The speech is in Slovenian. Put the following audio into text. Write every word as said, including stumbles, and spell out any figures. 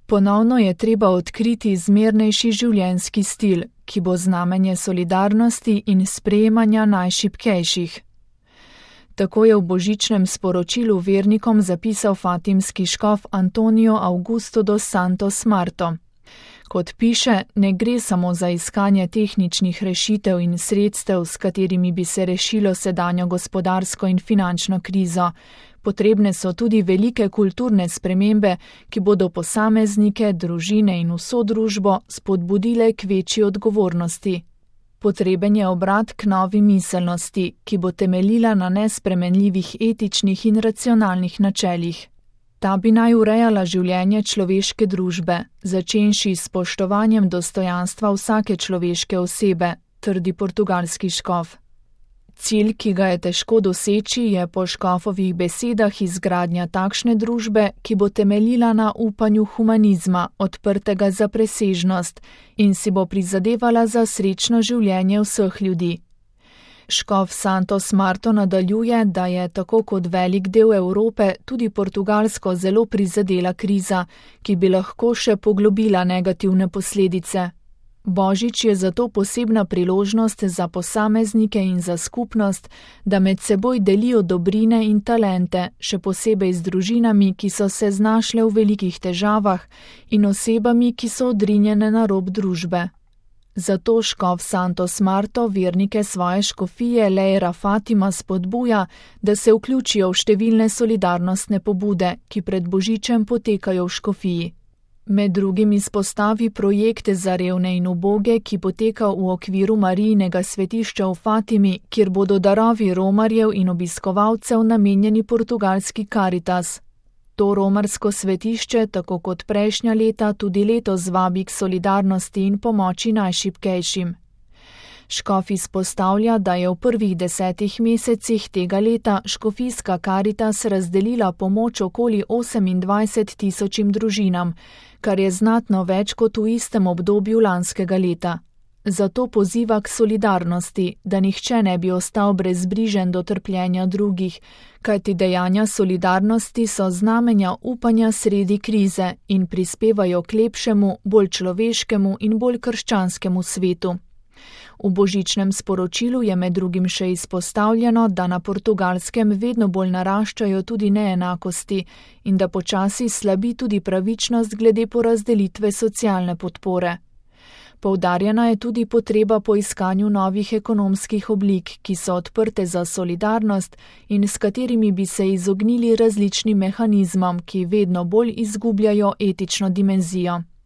Ponovno je treba odkriti zmernejši življenjski stil, ki bo znamenje solidarnosti in sprejemanja najšibkejših. Tako je v božičnem sporočilu vernikom zapisal fatimski škof Antonio Augusto dos Santos Marto. Kot piše, ne gre samo za iskanje tehničnih rešitev in sredstev, s katerimi bi se rešilo sedanjo gospodarsko in finančno krizo. Potrebne so tudi velike kulturne spremembe, ki bodo posameznike, družine in vso družbo spodbudile k večji odgovornosti. Potreben je obrat k novi miselnosti, ki bo temeljila na nespremenljivih etičnih in racionalnih načelih. Ta bi naj urejala življenje človeške družbe, začenši s spoštovanjem dostojanstva vsake človeške osebe, trdi portugalski škof. Cilj, ki ga je težko doseči, je po škofovih besedah izgradnja takšne družbe, ki bo temeljila na upanju humanizma, odprtega za presežnost in si bo prizadevala za srečno življenje vseh ljudi. Škof Santos Marto nadaljuje, da je tako kot velik del Evrope tudi Portugalsko zelo prizadela kriza, ki bi lahko še poglobila negativne posledice. Božič je zato posebna priložnost za posameznike in za skupnost, da med seboj delijo dobrine in talente, še posebej z družinami, ki so se znašle v velikih težavah, in osebami, ki so odrinjene na rob družbe. Zato škof Santos Marto vernike svoje škofije Leira Fatima spodbuja, da se vključijo v številne solidarnostne pobude, ki pred božičem potekajo v škofiji. Med drugim izpostavi projekte za revne in uboge, ki poteka v okviru Marijinega svetišča v Fatimi, kjer bodo darovi romarjev in obiskovalcev namenjeni portugalski Caritas. To romarsko svetišče, tako kot prejšnja leta, tudi letos vabi k solidarnosti in pomoči najšibkejšim. Škof izpostavlja, da je v prvih desetih mesecih tega leta škofijska Caritas razdelila pomoč okoli osemindvajset tisočim družinam, kar je znatno več kot v istem obdobju lanskega leta. Zato poziva k solidarnosti, da nihče ne bi ostal brezbrižen do trpljenja drugih, kajti dejanja solidarnosti so znamenja upanja sredi krize in prispevajo k lepšemu, bolj človeškemu in bolj krščanskemu svetu. V božičnem sporočilu je med drugim še izpostavljeno, da na Portugalskem vedno bolj naraščajo tudi neenakosti in da počasi slabi tudi pravičnost glede porazdelitve socialne podpore. Poudarjena je tudi potreba po iskanju novih ekonomskih oblik, ki so odprte za solidarnost in s katerimi bi se izognili različnim mehanizmom, ki vedno bolj izgubljajo etično dimenzijo.